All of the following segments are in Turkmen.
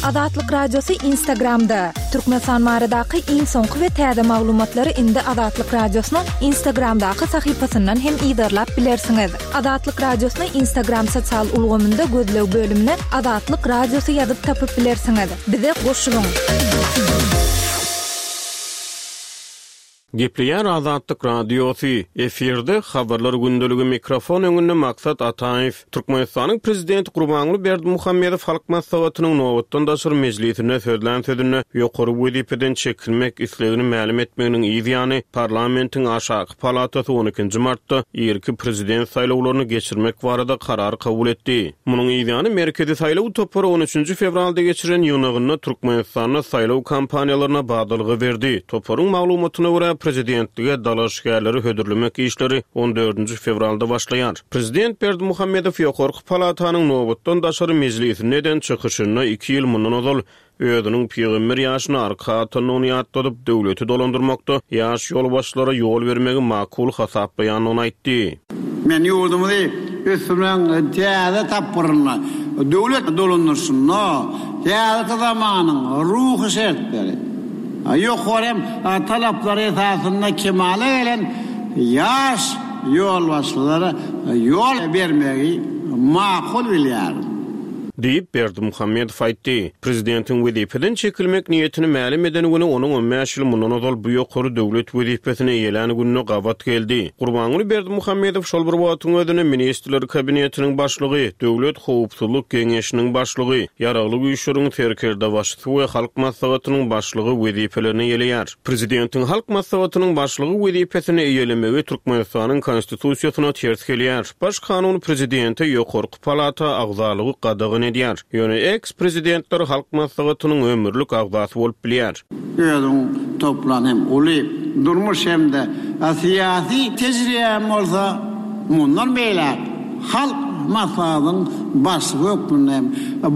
Azatlyk Radiosy Instagramda! Türkmenistan baradaky iň soňky we täze maglumatlary indi Azatlyk Radiosynyň Instagramdaky sahypasyndan hem yzarlap bilersiňiz. Azatlyk Radiosyny Instagram sosial ulgamynda gözleg bölümine Azatlyk Radiosy ýazyp tapyp bilersiňiz. Bize goşulyň! Gepleýär Azatlyk Radiosy, efirde Habarlar gündeligi mikrofon öňünde Maksat Ataýew. Türkmenistanyň Prezidenti Gurbanguly Berdimuhamedow Halk Maslahatynyň nobatdan daşary mejlisinde sözlän sözünde ýokary wezipeden çekilmek islegini mälim etmeginiň yz ýany, parlamentiň aşaky palatasy on ikinji martda irki prezident saýlawlaryny geçirmek barada karar kabul etdi. Munuň yzýany Merkezi saýlaw topary on üçünji fewralda geçiren ýygnagynda Türkmenistanda saýlaw kampaniýalaryna badalga berdi. Toparyň maglumatyna görä, prezidentlige dalaşgärleri hödürlemek işleri on dördünji fewralda başlaýar. Prezident Berdimuhamedow ýokarky palatanyň nobatdan daşary mejlisinde eden çykyşynda iki ýyl mundan ozal Özüniň pygamber ýaşyna arka atandygyny ýatladyp, döwleti dolandyrmakda ýaş ýolbaşçylara ýol bermegi makul hasaplaýandygyny aýtdy. Men ýurdumyzy ösdürmegiň täze tapgyrynda, döwlet dolandyryşynda häzirki zamanyň ruhy şertleri, ýokary hem talaplary esasynda kemala gelen ýaş ýolbaşçylara ýol bermegi makul bilýärin. Diýip, Berdimuhamedow aýtdy. Prezidentiň wezipeden çekilmek niýetini mälim eden güni onuň on bäş ýyl mundan ozal bu ýokary döwlet wezipesini eýelän gününe gabat geldi. Gurbanguly Berdimuhamedow şol bir wagtyň özünde Ministrler Kabinetiniň Başlygy, Döwlet howpsuzlyk geňeşiniň başlygy, Ýaragly Güýçleriň Serkerdebaşysy we Halk Maslahatynyň Başlygy wezipelerini eýeleýär. Prezidentiň Halk Maslahatynyň Başlygy wezipesini eýelemegi Türkmenistanyň Konstitusiýasyna ters gelýär. Baş kanun prezidente ýokarky Palata agzalygy gadagan edýär. Ýöne eks-prezidentler Halk Maslahatynyň ömürlik agzasy bolup bilýär. Özüň toplan hem uly durmuş hem-de syýasy tejribäm bolsa, mundan beýläk Halk Maslahatynyň Başlygy hökmünde hem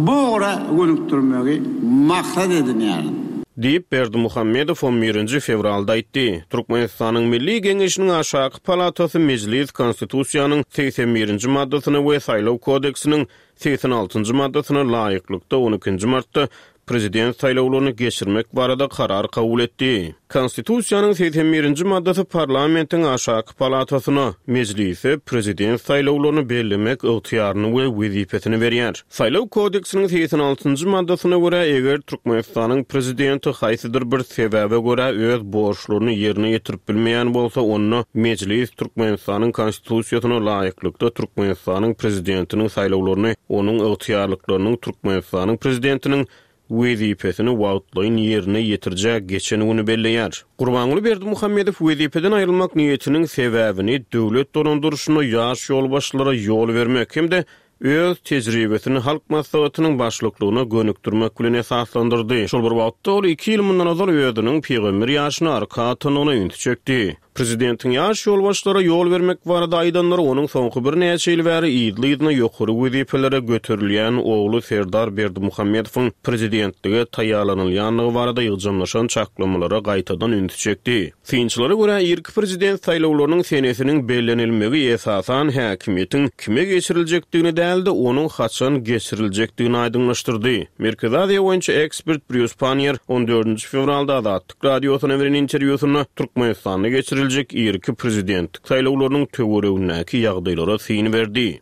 bu ugra gönükdirmegi maksat edinýärin. Diýip, Berdimuhamedow on birinji fewralda aýtdy. Türkmenistanyň Milli Geňeşiniň aşaky palatasy Mejlis Konstitusiýanyň 81-nji maddasyna we Saýlaw kodeksiniň 86-njy maddasyna laýyklykda on ikinji martda Prezident saýlawlaryny geçirmek barada karar kabul etdi. Konstitusiýanyň 81-nji maddasy parlamentiň aşaky palatasyna, Mejlise Prezident saýlawlaryny bellemek ygtyýaryny we wezipesini berýär. Saýlaw kodeksiniň 86-njy maddasyna görä, eger Türkmenistanyň Prezidenti haýsydyr bir sebäbe görä öz borçlaryny ýerine ýetirip bilmeýän bolsa, onda Mejlis Türkmenistanyň Konstitusiýasyna laýyklykda Türkmenistanyň Prezidentiniň saýlawlaryny onuň ygtyýarlyklarynyň Türkmenistanyň Prezidentiniň wezipesini wagtlaýyn ýerine ýetirijä geçen güni belleýär. Gurbanguly Berdimuhamedow wezipeden aýrylmak niýetiniň sebäbini döwlet dolandyryşynda ýaş ýolbaşçylara ýol bermek hem-de öz tejribesini Halk Maslahatynyň başlyklygyna gönükdirmek bilen esaslandyrdy. Şol bir wagtda, ol iki ýyl mundan ozal özüniň pygamber ýaşyna arka atandygyna ünsi çekdi. Prezidentiň ýaş ýolbaşçylara ýol bermek barada aýdanlary onuň soňky birnäçe ýyl bäri yzly-yzyna ýokary wezipelere göterilýän ogly Serdar Berdimuhamedowyň prezidentlige taýýarlanylýandygy barada ýygjamlaşan çaklamalara gaýtadan ünsi çekdi. Synçylara görä, irki prezident saýlawlarynyň senesiniň bellenilmegi esasan häkimiýetiň kime geçiriljekdigini däl-de, onuň haçan geçiriljekdigini aýdyňlaşdyrdy. Merkezi Aziýa boýunça ekspert Brýus Panniýer on dördünji fewralda Azatlyk Radiosyna beren interwýusynda Türkmenistanda geçiriljek irki prezidentlik saýlawlarynyň töweregindäki ýagdaýlara syn berdi.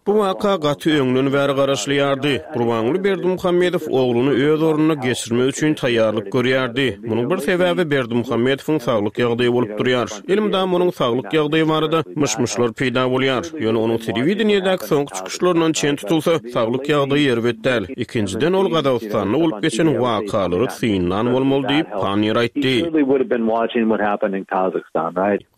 Bu waka gaty öňden bäri garaşylýardy. Gurbanguly Berdimuhamedow ogluny öz ornuna geçirmek üçin taýýarlyk görýärdi. Munuň bir sebäbi Berdimuhamedowyň saglyk ýagdaýy bolup durýar. Elmydama onuň saglyk ýagdaýy barada myş-myşlar peýda bolýar. Ýöne onuň telewideniýedäki soňky çykyşlaryndan çen tutulsa, saglyk ýagdaýy erbet däl. Ikinjiden, ol Gazagystanda bolup geçen wakalary synlan bolmaly diýip, Panniýer aýtdy.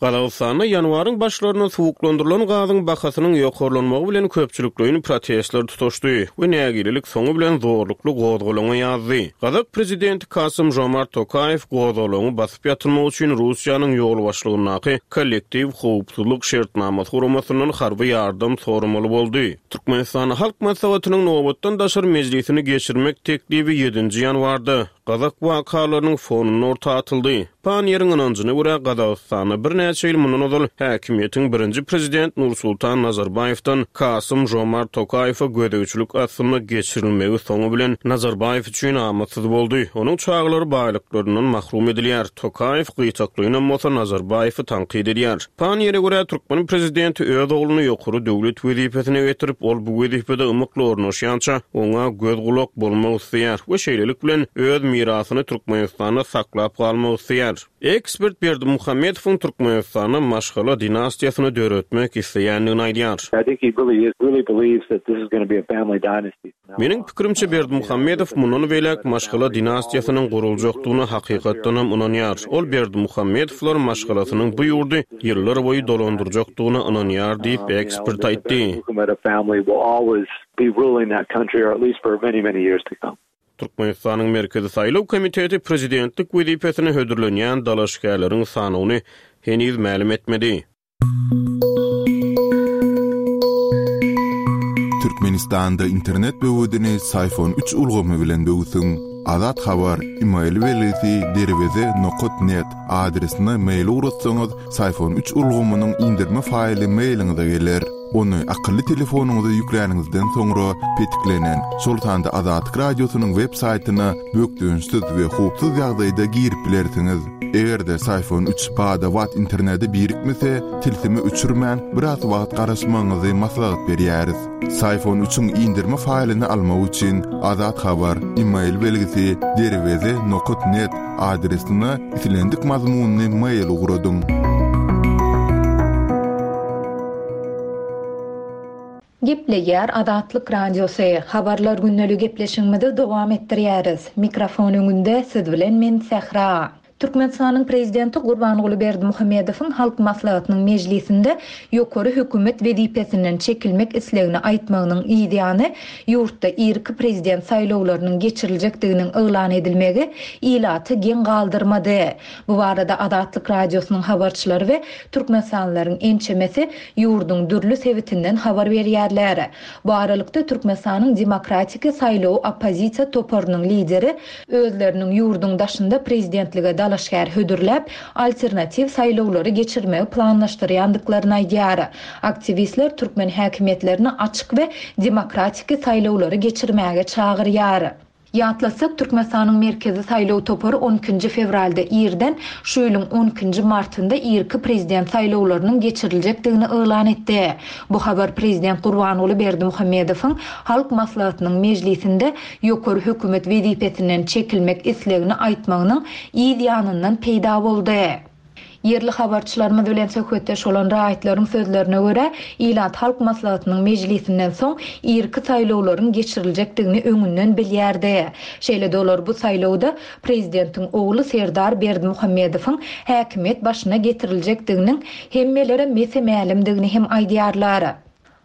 Gazagystanda ýanwaryň başlarynda suwuklandyrylan gazyň bahasynyň ýokarlanmagy bilen köpçülikleýin protestler tutaşdy we nägilelik soňy bilen zorlukly gozgalaňa ýazdy. Gazak prezidenti Kasym-Žomart Tokaýew gozgalaňy basyp ýatyrmak üçin Russiýanyň ýolbaşçylygyndaky Kollektiw howpsuzlyk şertnamasy guramasyndan harby ýardam soramaly boldy. Türkmenistanda Halk Maslahatynyň nobatdan daşary mejlisini geçirmek teklibi ýedinji ýanwarda, gazak wakalarynyň fonunda orta atyldy. Panniýeriň ynanjyna görä, Gazagystanda birnäçe ýyl mundan ozal häkimiýetiň birinji prezident Nursultan Nazarbaýewden Kasym-Žomart Tokaýewe gözegçilik astynda geçirilmegi soňy bilen Nazarbaýew üçin amatsyz boldy. Onuň çagalary baýlyklaryndan mahrum edilýär. Tokaýew gytaklaýynam bolsa Nazarbaýewi tankyt edýär. Panniýere görä, türkmen prezidenti öz ogluny ýokary döwlet wezipesine getirip, ol bu wezipede ymykly ornaşýança, oňa göz-gulak bolmak isleýär we şeýlelik bilen, öz mirasyny Türkmenistanda saklap galmak isleýär. Ekspert Berdimuhamedowyň Türkmenistanda maşgala dinastiýasyny döretmek isleýändigini aýdýar. Meniň pikirimçe, Berdimuhamedow mundan beýläk maşgala dinastiýasynyň guruljakdygyna hakykatdanam ynanýar. Ol Berdimuhamedowlar maşgalasynyň bu ýurdy ýyllar boýy dolandyrjakdygyna ynanýar diýip, ekspert aýtdy. Türkmenistanyň Merkezi saýlaw komiteti prezidentlik wezipesine hödürlenýän dalaşgärleriň sanawyny heniz mälim etmedi. Türkmenistanda internet böwedini Syfon üç ulgamy bilen böwsüň. Azat Habar, email belgisi derweze nokat net adresine mail ugratsaňyz, Syfon üç ulgamynyň indirme faýly mailiňize geler. Ony akylly telefonyňyza ýükläniňizden soňra petiklenen, şol sanda Azatlyk Radiosynyň web saýtyna bökdençsiz we howpsuz ýagdaýda girip bilersiňiz. Eger-de Syfon üç bada-bat internete birikmese, tilsimi öçürmän, biraz wagt garaşmagyňyzy maslahat berýäris. Syfon üçiň indirme faýlyny almak üçin Azat Habar, email belgisi, derweze nokat net adresine islendik mazmunly mail ugradyň. Gepleýär Azatlyk Radiosy, Habarlar gündeli gepleşigimizi dowam etdirýäris. Mikrofon öňünde siz bilen men Sähra. Türkmenistanyň Prezidenti Gurbanguly Berdimuhamedowyň Halk Maslahatynyň mejlisinde ýokary hökümet wezipesinden çekilmek islegini aýtmagynyň yzýany, ýurtda irki prezident saýlawlarynyň geçiriljekdiginiň yglan edilmegi ilaty geň galdyrmady. Bu barada Azatlyk Radiosynyň habarçylary we türkmenistanlylaryň ençemesi ýurduň dürli sebitinden habar berýärler. Bu aralykda, Türkmenistanyň Demokratiki saýlawy oppozisiýa toparynyň lideri özleriniň ýurduň daşynda prezidentlige dalaşgär hödürläp, alternatiw saýlawlary geçirmegi planlaşdyrýandyklaryny aýdýar. Aktiwistler türkmen häkimiýetlerini açyk we demokratiki saýlawlary geçirmäge çagyrýar. Ýatlatsak, Türkmenistanyň Merkezi saýlaw topary on ikinji fewralda irden, şu ýylyň on ikinji martynda irki prezident saýlawlarynyň geçiriljekdigini yglan etdi. Bu habar prezident Gurbanguly Berdimuhamedowyň Halk Maslahatynyň mejlisinde ýokary hökümet wezipesinden çekilmek islegini aýtmagynyň yz ýanyndan peýda boldy. Ýerli habarçylarymyz bilen söhbetdeş bolan raýatlaryň sözlerine görä, ilat Halk Maslahatynyň mejlisinden soň irki saýlawlaryň geçiriljekdigini öňünden bilýärdi. Şeýle-de olar bu saýlawda prezidentiň ogly Serdar Berdimuhamedowyň häkimiýet başyna getiriljekdiginiň hemmelere mese-mälimdigini hem aýdýarlar.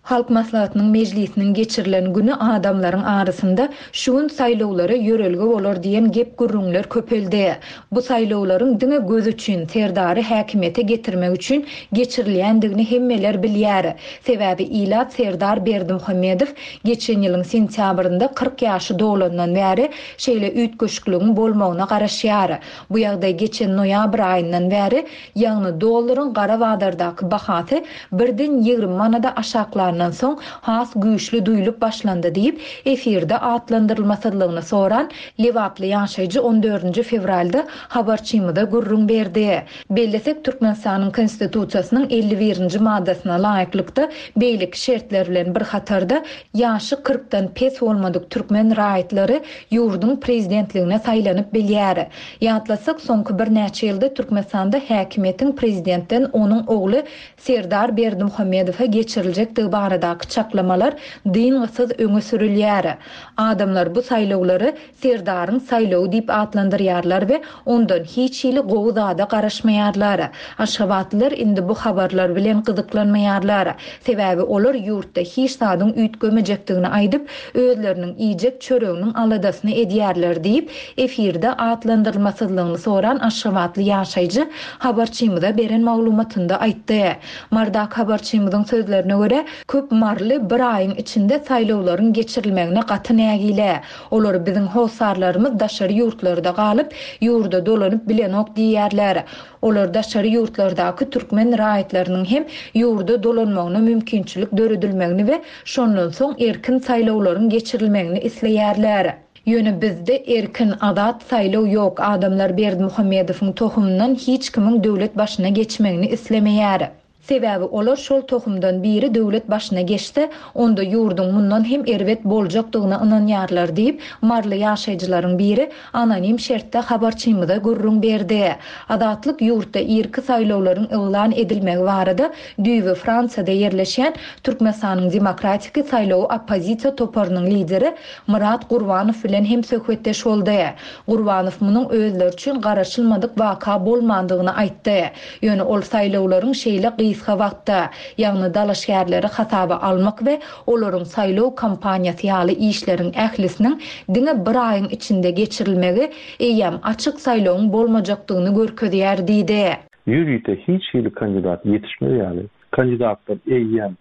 Halk Maslahatynyň mejlisiniň geçirilen güni adamlaryň arasynda şu gün saýlawlara ýörelge bolar diýen gep-gürrüňler köpeldi. Bu saýlawlaryň diňe göz üçin, Serdary häkimiýete getirmek üçin geçirilýändigini hemmeler bilýär. Sebäbi ilat Serdar Berdimuhamedow geçen ýylyň sentýabrynda 40 ýaşy dolandan bäri şeýle üýtgeşikligiň bolmagyna garaşýar. Bu ýagdaý geçen noýabr aýyndan bäri Ýagny dollaryň gara bazardaky bahasy birden 20 manada aşaklandan soň has güýçli duýlup başlandy diýip, efirde atlandyrylmasyzlygyny soran lebaply ýaşaýjy on dördünji fewralda habarçymyza gürrüň berdi. Bellesek, Türkmenistanyň Konstitusiýasynyň 51-nji maddasyna laýyklykda, beýleki şertler bilen bir hatarda, ýaşy kyrkdan pes bolmadyk türkmen raýatlary ýurduň prezidentligine saýlanyp bilýär. Ýatlatsak, soňky birnäçe ýylda Türkmenistanda häkimiýetiň prezidentden onuň ogly Serdar Berdimuhamedowa geçiriljekdigi baradaky çaklamalar dyngysyz öňe sürülýär. Adamlar bu saýlawlary Serdaryň saýlawy diýip atlandyrýarlar we ondan hiç hili gowy zada garaşmaýarlar. Aşgabatlylar indi bu habarlar bilen gyzyklanmaýarlar. Sebäbi olar ýurtda hiç zadyň üýtgemejekdigini aýdyp, özleriniň iýjek çöreginiň aladasyny edýärler diýip, efirde atlandyrylmasyzlygyny soran aşgabatly ýaşaýjy habarçymyza beren maglumatynda aýtdy. Mardak habarçymyzyň sözlerine görä, Köp maryly bir aýyň içinde saýlawlaryň geçirilmegine gaty nägile. Olar biziň hossarlarymyz daşary ýurtlarda galyp, ýurda dolanyp bilenok diýýärler. Olar daşary ýurtlardaky türkmen raýatlarynyň hem ýurda dolanmagyna mümkinçilik döredilmegini we şondan soň erkin saýlawlaryň geçirilmegini isleýärler. Ýöne bizde erkin, azat saýlaw ýok, adamlar Berdimuhamedowyň tohumyndan hiç kimiň döwlet başyna geçmegini islemeýär. Sebäbi olar şol tohumdan biri döwlet başyna geçse, onda ýurduň mundan hem erbet boljakdygyna ynanýarlar diýip, maryly ýaşaýjylaryň biri anonim şertde habarçymyza gürrüň berdi. Azatlyk ýurtda irki saýlawlaryň yglan edilmegi barada düýbi Fransiýada ýerleşýän Türkmenistanyň Demokratiki saýlawy oppozisiýa toparynyň lideri Myrat Gurbanow bilen hem söhbetdeş boldy. Gurbanow munuň özleri üçin garaşylmadyk waka bolmandygyny aýtdy. Ýöne ol saýlawlaryň şeýle gysga wagtda, ýagny dalaşgärleri hasaba almak we olaryň saýlaw kampaniýasy ýaly işleriň ählisiniň diňe bir aýyň içinde geçirilmegi eýýäm açyk saýlawyň bolmajakdygyny görkezýär diýdi. Ýörite hiç hili kandidat ýetişmez ýaly, kandidatlar eýýäm,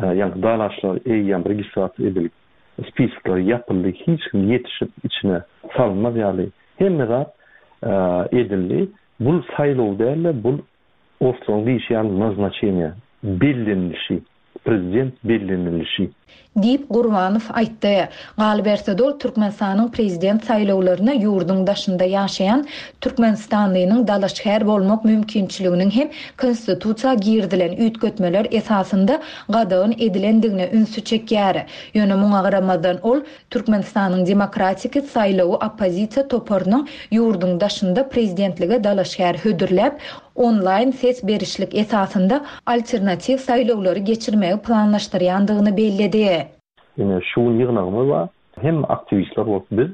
ýagny dalaşlar eýýäm registrasiýa edilip, spiskler ýapyldy, hiç kim ýetişip içine salynmaz ýaly hemme zat edildi. Bul saýlaw däl-de, bul orslaryň diýşi ýaly naznaçeniýe, bellenilişi, prezident bellenilişi. Diýip, Gurbanow aýtdy. Galyberse-de, ol Türkmenistanyň prezident saýlawlaryna ýurduň daşynda ýaşaýan türkmenistanlynyň dalaşgär bolmak mümkinçiliginiň hem Konstitusiýa girizilen üýtgetmeler esasynda gadagan edilendigine ünsi çekýär. Ýöne muňa garamazdan, ol Türkmenistanyň Demokratiki saýlawy oppozisiýa toparynyň ýurduň daşynda prezidentlige dalaşgär hödürläp, onlaýn ses berişlik esasynda alternatiw saýlawlary geçirmegi planlaşdyrýandygyny belledi. Ine, şu gün ýygnagymyz bar. Hemme aktiwistler bolup biz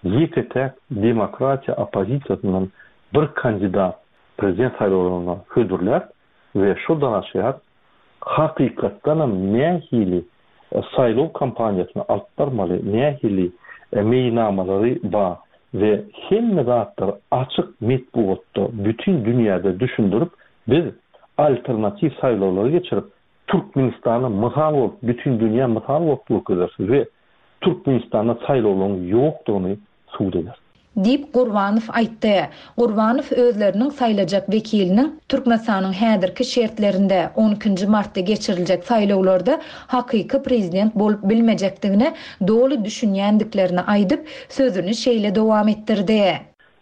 ýeke-täk demokratiýa oppozisiýasyndan bir kandidat prezident saýlawlaryna hödürläp we şo dalaşgär hakykatdanam nähili saýlaw kampaniýasyny alyp barmaly, nähili meýilnamalary bar we hemme zatlary açyk metbugatda bütin dünýäde düşündirip biz alternatiw saýlawlary geçirip Türkmenistana mysal bolup bütin dünýä mysal bolup görkezeris we Türkmenistanda saýlawlaryň ýokdugyny subut ederis. Diýip, Gurbanow aýtdy. Gurbanow özleriniň saýlajak wekiliniň Türkmenistanyň häzirki şertlerinde, on ikinji martda geçiriljek saýlawlarda hakyky prezident bolup bilmejekdigine doly düşünýändiklerini aýdyp, sözüni şeýle dowam etdirdi.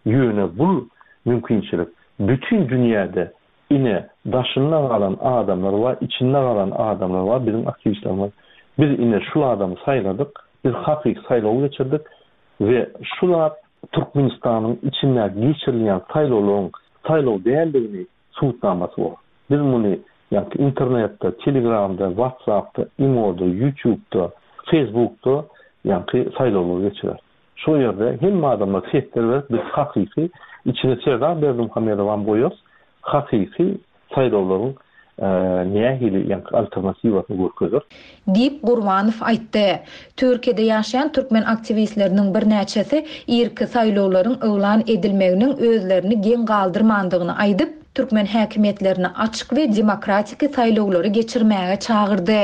Ýöne bul mümkinçilik bütin dünýäde ine daşynda galan adamlar bar, içinde galan adamlar bar, biziň aktiwistlerimiz. Biz ine şul adamy saýladyk, biz hakyky saýlaw geçirdik, We şu zat Türkmenistanyň içindäki geçirilýän saýlawlaryň saýlaw däldigini subutnamasy bolar. Biz muny ýaňky internetde, telegramda, whatsappda, imoda, ýutubda, facebookda ýaňky saýlawlary geçireris. Şo ýerde hemme adamlar sesler berip biz hakyky içine Serdar Berdimuhamedowam goýarys, hakyky saýlawlaryň nähili ýaňky alternatiwasyny görkezer. Diýip, Gurbanow aýtdy. Türkiýede ýaşaýan türkmen aktiwistleriniň birnäçesi irki saýlawlaryň yglan edilmeginiň özlerini geň galdyrmandygyny aýdyp, türkmen häkimiýetlerini açyk we demokratiki saýlawlary geçirmäge çagyrdy.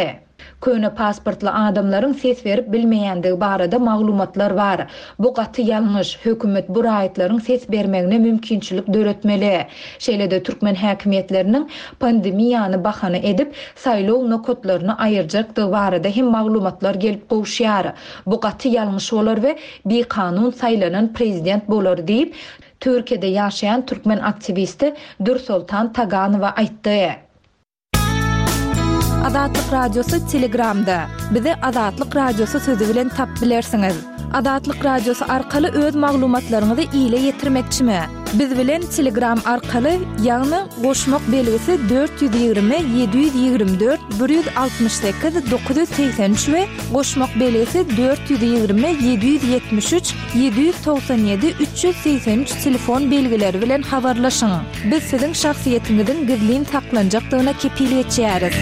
Köne pasportly adamlaryň ses berip bilmeýändigi barada maglumatlar bar. Bu gaty ýalňyş. Hökümet bu raýatlaryň ses bermegine mümkinçilik döretmeli. Şeýle-de türkmen häkimiýetleriniň pandemiýany bahana edip, saýlaw nokatlaryny aýyrjakdygy barada hem maglumatlar gelip gowuşýar. Bu gaty ýalňyş bolar we bikanun saýlanan prezident bolar diýip, Türkiýede ýaşaýan türkmen aktiwisti Dürsoltan Taganowa aýtdy. Azatlyk Radiosy Telegramda. Bizi Azatlyk Radiosy sözi bilen tapyp bilersiňiz. Azatlyk Radiosy arkaly öz maglumatlaryňyzy ile ýetirmekçimi? Biz bilen Telegram arkaly, ýagny goşmak belgisi 420 724 168 983 we goşmak belgisi 420 773 797 383 telefon belgileri bilen habarlaşyň. Biz siziň şahsyýetiňiziň gizlin saklanjakdygyna kepil geçýäris.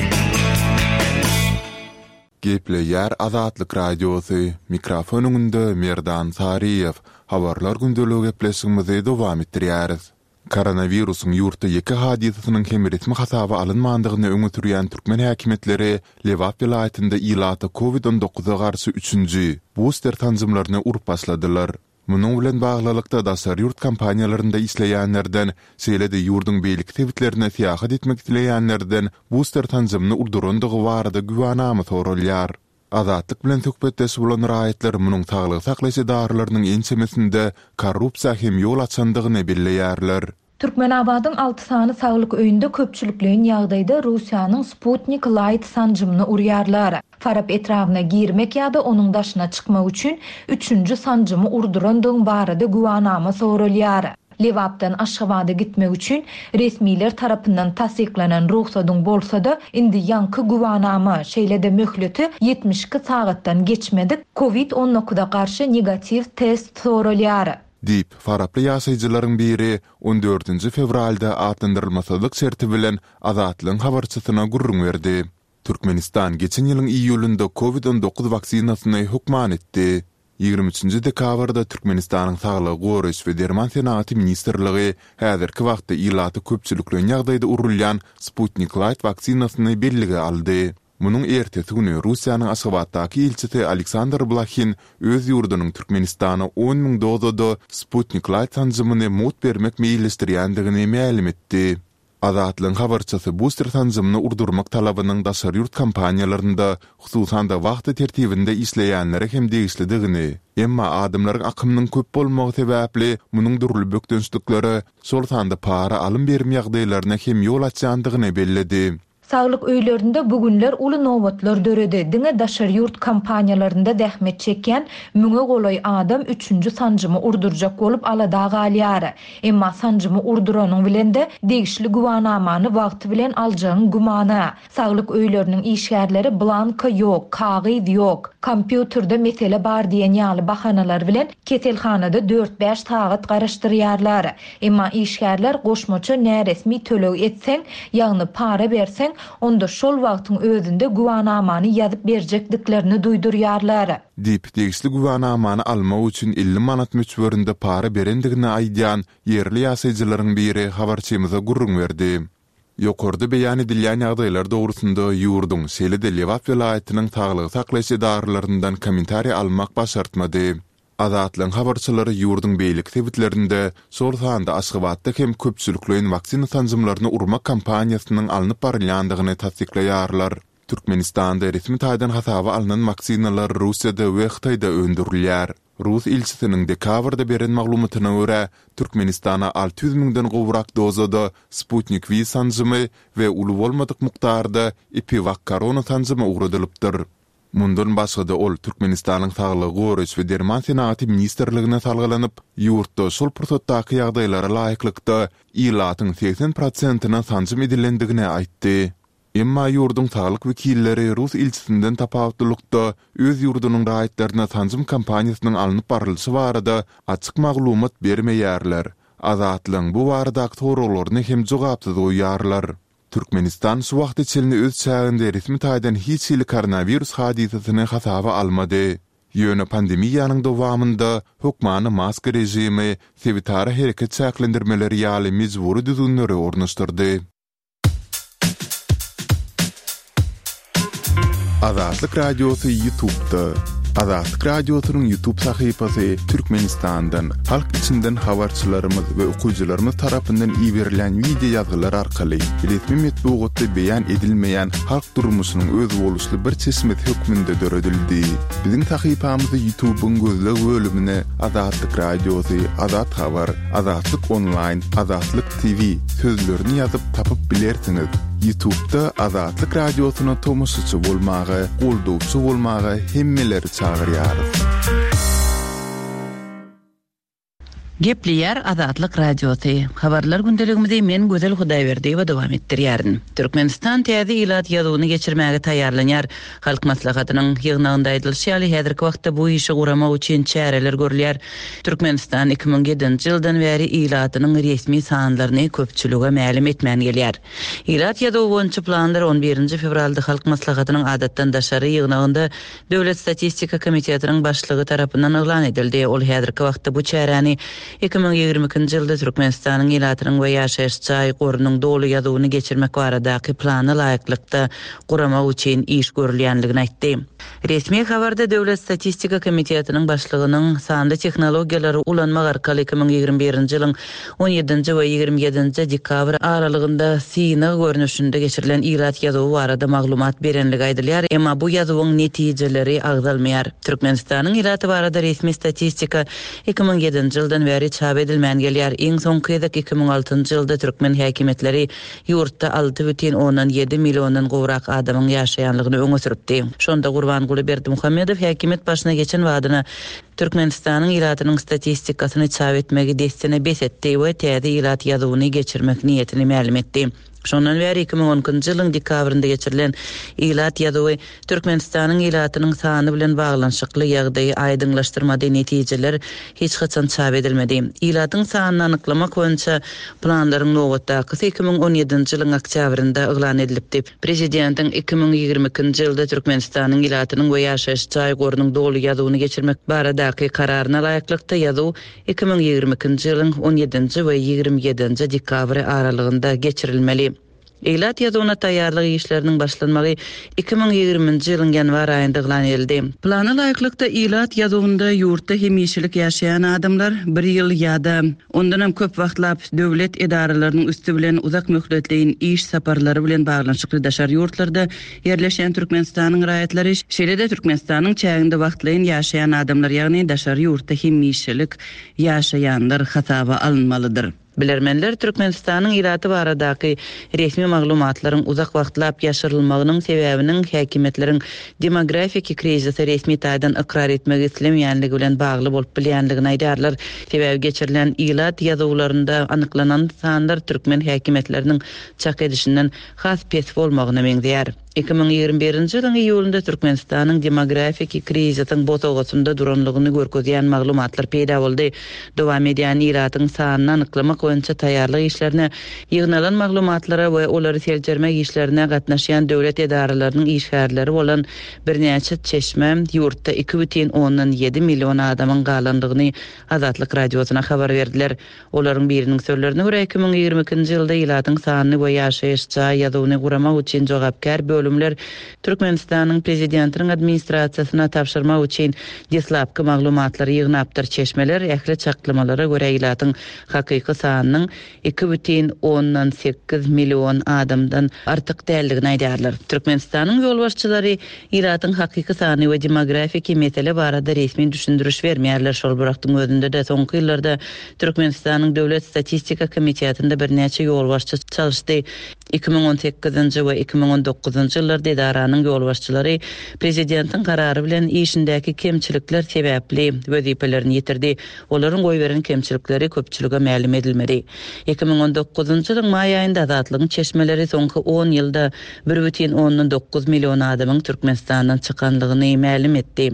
Gepleýär Azatlyk Radiosy, mikrofon öňünde Merdan Saryýew. Habarlar gündeligi gepleşigimizi dowam etdirýäris. Koronawirusyň ýurtda ýeke hadysasynyň hem resmi hasaba alynmandygyny öňe sürýän türkmen häkimiýetleri Lebap welaýatynda ilata Covid on dokuza garşy üçünji, buster sanjymlaryny urup başladylar. Munuň bilen baglylykda, daşary ýurt kompaniýalarynda işleýänlerden, şeýle-de ýurduň beýleki sebitlerine syýahat etmek isleýänlerden buster sanjymyny urdurandygy barada güwänama soralýar. Azatlyk bilen söhbetdeş bolan raýatlar munuň saglygy saklaýyş edaralarynyň ençemesinde korrupsiýa hem ýol açandygyny belleýärler. Türkmenabadyň alty sany saglyk öýünde köpçülikleýin ýagdaýda Russiýanyň Sputnik Laýt sanjymyny urýarlar. Farap etrabyna girmek ýa-da onuň daşyna çykmak üçin üçünji sanjymy urdurandygyň barada güwanama soralýar. Lebapdan Aşgabada gitmek üçin resmiler tarapyndan tassyklanan rugsadyň bolsa-da, indi ýaňky güwanama, şeýle-de möhleti 72 sagatdan geçmedik Covid on dokuza garşy negatiw test soralýar. Diýip, faraply ýaşaýjylaryň biri on dördünji fewralda atlandyrylmasyzlyk şerti bilen Azatlygyň habarçysyna gürrüň berdi. Türkmenistan geçen ýylyň iýulynda Covid 19 waksinasyny hökman etdi. 23 dekabrda Türkmenistanyň Saglygy goraýyş we derman senagaty ministrligi häzirki wagtda ilata köpçülikleýin ýagdaýda urulýan Sputnik Laýt waksinasyny bellige aldy. Munuň ertesi güni Russiýanyň Aşgabatdaky ilçisi Aleksandr Blahin öz ýurdunyň Türkmenistana 10 müň dozada Sputnik Laýt sanjymyny mugt bermek meýilleşdirýändigini mälim etdi. Azatlygyň habarçysy buster sanjymyny urdurmak talabynyň daşary ýurt kompaniýalarynda, hususan-da wahta tertibinde işleýänlere hem degişlidigini, emma adamlaryň akymynyň köp bolmagy sebäpli munuň dürli bökdençliklere, şol sanda para alym-berim ýagdaýlaryna hem ýol açýandygyny belledi. Saglyk öýlerinde bu günler uly nobatlar döredi. Diňe daşary ýurt kompaniýalarynda zähmet çekýän müňe golaý adam üçünji sanjymy urdurjak bolup alada galýar. Emma sanjymy urduranyň bilen-de degişli güwanamany wagty bilen aljagyň gümana. Saglyk öýleriniň işgärleri blanka ýok, kagyz ýok, kompýuterde mesele bar diýen ýaly bahanalar bilen keselhanada dört-bäş sagat garaşdyrýarlar. Emma işgärler goşmaça näresmi töleg etseň, ýagny para berseň, onda şol wagtyň özünde güwanamany ýazyp berjekdiklerini duýdurýarlar. Diýip, degişli güwanamany almak üçin 50 manat möçberinde para berendigini aýdýan ýerli ýaşaýjylaryň biri habarçymyza gürrüň berdi. Ýokarda beýan edilýän ýagdaýlar dogrusynda ýurduň, şeýle-de Lebap welaýatynyň saglygy saklaýyş edaralaryndan kommentariý almak başartmady. Azatlygyň habarçylary ýurduň beýleki sebitlerinde, şol sanda Aşgabatda hem köpçülikleýin waksina sanjymlaryny urmak kampaniýasynyň alnyp barylýandygyny tassyklaýarlar. Türkmenistanda resmi taýdan hasaba alnan waksinalar Russiýada we Hytaýda öndürilýär. Rus ilçisiniň dekabrda beren maglumatyna görä, Türkmenistana 600 müňden gowrak dozada Sputnik V sanjymy we uly bolmadyk mukdarda EpiWakKorona sanjymy ugradylypdyr. Mundan başga-da ol Türkmenistanyň Saglygy goraýyş we derman senagaty ministrligine salgylanyp, ýurtda şol pursatdaky ýagdaýlara laýyklykda ilatyň 80 prosentine sanjym edilendigini aýtdy. Emma ýurduň saglyk wekilleri rus ilçisinden tapawutlylykda öz ýurdunyň raýatlaryna sanjym kampaniýasynyň alnyp barlyşy barada açyk maglumat bermeýärler, Azatlygyň bu baradaky soraglaryny hem jogapsyz goýýarlar. Türkmenistan şu wagta çenli öz çäginde resmi taýdan hiç hili koronawirus hadysasyny hasaba almady. Ýöne pandemiýanyň dowamynda hökmany maska režimi, sebitara hereket çäklendirmeleri ýaly mejbury düzgünleri ornaşdyrdy. Azatlyk Radiosy YouTube'da. Azatlyk Radiosynyň YouTube sahypasy Türkmenistandan, halk içinden habarçylarymyz we okyjylarymyz tarapyndan iberilen wideo ýazgylar arkaly resmi metbugatda beýan edilmeýän halk durmuşynyň özboluşly bir çeşmesi hökmünde döredildi. Biziň sahypamyzy YouTube-yň gözleg bölümine Azatlyk Radiosy, Azat Habar, Azatlyk Onlaýn, Azatlyk TV sözlerini ýazyp tapyp bilersiňiz. Ýutubda Azatlyk Radiosyna tomaşaçy bolmaga, goldawçy bolmaga hemmeleri çagyrýarys. Gepleýär Azatlyk Radiosy. Habarlar gündeligimizi men Gözel Hudaýberdiýewa dowam etdirýärin. Türkmenistan täze ilat ýazuwyny geçirmäge taýýarlanýar. Halk Maslahatynyň ýygnagynda aýdylyşy ýaly, häzirki wagtda bu işi guramak üçin çäreler görülýär. Türkmenistan 2007-nji ýyldan bäri ilatynyň resmi sanlaryny köpçülige mälim etmän gelýär. Ilat ýazuwy boýunça planlar on birinji fewralda Halk Maslahatynyň adatdan daşary ýygnagynda Döwlet statistika komitetiniň başlygy tarapyndan yglan edildi. Ol häzirki wagtda bu çäräni. 2022-nji ýylda Türkmenistanyň ilatynyň we ýaşaýyş jaý gorunyň doly ýazuwyny geçirmek baradaky plana laýyklykda guramak üçin iş görülýändigini aýtdy. Resmi habarda Döwlet statistika komitetiniň başlygynyň sanly tehnologiýalary ulanmak arkaly 2021-nji ýylyň on ýedinji we 27-nji dekabr aralygynda synag görnüşinde geçirilen ilat ýazuwy barada maglumat berenligi aýdylýar, emma bu ýazuwyň netijeleri agzalmaýar. Türkmenistanyň ilaty barada resmi statistika 2007-nji ýyldan bäri çap edilmän gelýär. Iň soňky gezek 2006-njy ýylda türkmen häkimiýetleri ýurtda 6,7 milliondan gowrak adamyň ýaşaýanlygyny öňe sürüpdi. Şonda Gurbanguly Berdimuhamedow häkimiýet başyna geçen badyna Türkmenistanyň ilatynyň statistikasyny çap etmegi dessine bes etdi we täze ilat ýazuwyny geçirmek niýetini mälim etdi. Şondan bäri 2012-nji ýylyň dekabrynda geçirilen ilat ýazuwy Türkmenistanyň ilatynyň sany bilen baglanyşykly ýagdaýy aýdyňlaşdyrmady, netijeler hiç haçan çap edilmedi. Ilatyň sanyny anyklamak boýunça planlaryň nobatdakysy 2017-nji ýylyň oktýabrynda yglan edilipdi. Prezidentiň 2022-nji ýylda Türkmenistanyň ilatynyň we ýaşaýyş jaý gorunyň doly ýazuwyny geçirmek baradaky Kararyna laýyklykda ýazuw 2022-nji ýylyň on ýedinji we 27-nji dekabry aralygynda geçirilmeli. Ilat ýazuwyna taýýarlyk işleriniň başlanmagy 2020-nji ýylyň ýanwar aýynda yglan edildi. Plana laýyklykda, ilat ýazuwynda ýurtda hemişelik ýaşaýan adamlar bir ýyl ýa-da ondanam köp wagtlap döwlet edaralarynyň üsti bilen uzak möhletleýin iş saparlary bilen baglanyşykly daşary ýurtlarda ýerleşýän Türkmenistanyň raýatlary, şeýle-de Türkmenistanyň çäginde wagtlaýyn ýaşaýan adamlar, ýagny daşary ýurtda hemişelik ýaşaýanlar hasaba alynmalydyr. Bilermenler Türkmenistanyň ilaty baradaky resmi maglumatlaryň uzak wagtlap ýaşyrylmagynyň sebäbiniň häkimiýetleriň demografiki krizisi resmi taýdan ykrar etmegi islemeýänligi bilen bagly bolup bilýänligini aýdýarlar. Sebäbi geçirilen ilat ýazuwlarynda anyklanan sanlar türkmen häkimiýetleriniň çak edişinden has pes bolmagyna meňzeýär. 2021-nji ýylyň iýulynda Türkmenistanyň demografiki krizisiň bosagasynda duranlygyny görkezýän maglumatlar peýda boldy. Dowam edýän ilatyň sanyny anyklamak boýunça taýýarlyk işlerine, ýygnalan maglumatlara we olary seljermek işlerine gatnaşýan döwlet edaralarynyň işgärleri bolan birnäçe çeşme ýurtda 2,7 million adamyň galandygyny Azatlyk Radiosyna habar berdiler. Olaryň biriniň sözlerine görä, 2022-nji ýylda ilatyň sanyny we ýaşaýyş jaý ýazuwyny guramak üçin jogapkär bölümler Türkmenistanyň Prezidentiniň administrasiýasyna tabşyrmak üçin deslapky maglumatlary ýygnapdyr. Çeşmeler ähli çaklamalara görä ilatyň hakyky sanynyň 2,8 million adamdan artyk däldigini aýdýarlar. Türkmenistanyň ýolbaşçylary Ilatyň hakyky sany we demografiki mesele barada resmi düşündiriş bermeýärler. Şol bir wagtyň özünde-de, soňky ýyllarda Türkmenistanyň Döwlet statistika komitetinde birnäçe ýolbaşçy çalyşdy. 2018-nji we 2019-njy ýyllarda edaranyň ýolbaşçylary prezidentiň karary bilen işindäki kemçilikler sebäpli wezipelerini ýitirdi. Olaryň goýberen kemçilikleri köpçülige mälim edilmedi. 2019-njy ýylyň maý aýynda Azatlygyň çeşmeleri soňky on ýylda 1,9 million adamyň Türkmenistandan çykanlygyny mälim etdi.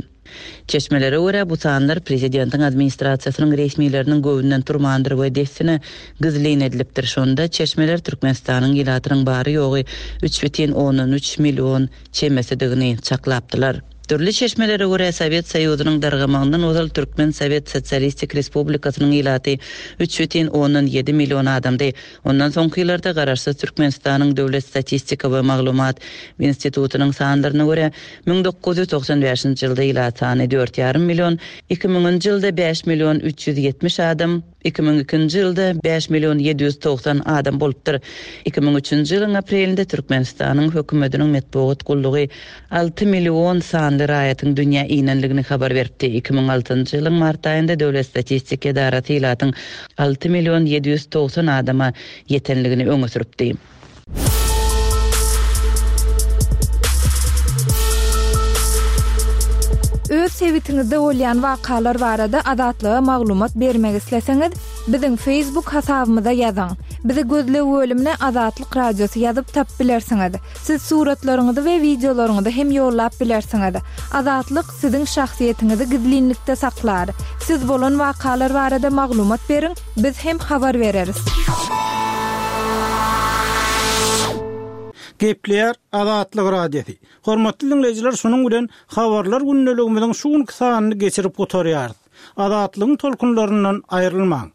Çeşmelere görä, bu sanlar prezidentiň administrasiýasynyň resmileriniň göwnünden turmandyr we dessine gizlin edilipdir. Şonda çeşmeler Türkmenistanyň ilatynyň bary-ýogy 3,3 million çemesidigini çaklapdylar. Dürli çeşmelere görä, Sowet Soýuzynyň dargamagyndan ozal Türkmen Sowet Sosialistik Respublikasynyň ilaty 3,7 million adamdy. Ondan soňky ýyllarda Garaşsyz Türkmenistanyň Döwlet statistika we maglumat institutynyň sanlaryna görä, 1995-nji ýylda ilat sany dört ýarym million, iki müňünji ýylda bäş million 370 adam, 2002-nji ýylda bäş million 790 adam bolupdyr. 2003-nji ýylyň aprelinde Türkmenistanyň Hökümetiniň metbugat gullugy alty million sanly raýatyň dünýä inenligini habar beripdi. 2006-njy ýylyň mart aýynda Döwlet statistika edarasy ilatyň alty million 790 adama ýetenligini öňe sürüpdi. Öz sebitiňizde bolýan wakalar barada Azatlyga maglumat bermek isleseňiz, biziň Facebook hasabymyza ýazyň. Bizi gözleg bölümine Azatlyk Radiosy ýazyp tapyp bilersiňiz. Siz suratlaryňyzy we wideolaryňyzy hem ýollap bilersiňiz. Azatlyk siziň şahsyýetiňizi gizlinlikde saklar. Siz bolan wakalar barada maglumat beriň, biz hem habar bereris. Gepleýär Azatlyk Radiosy. Hormatly diňleýjiler şunuň bilen Habarlar gündeligimiziň şu günki sanyny geçirip gutarýarys. Azatlygyň tolkunlaryndan aýrylmaň!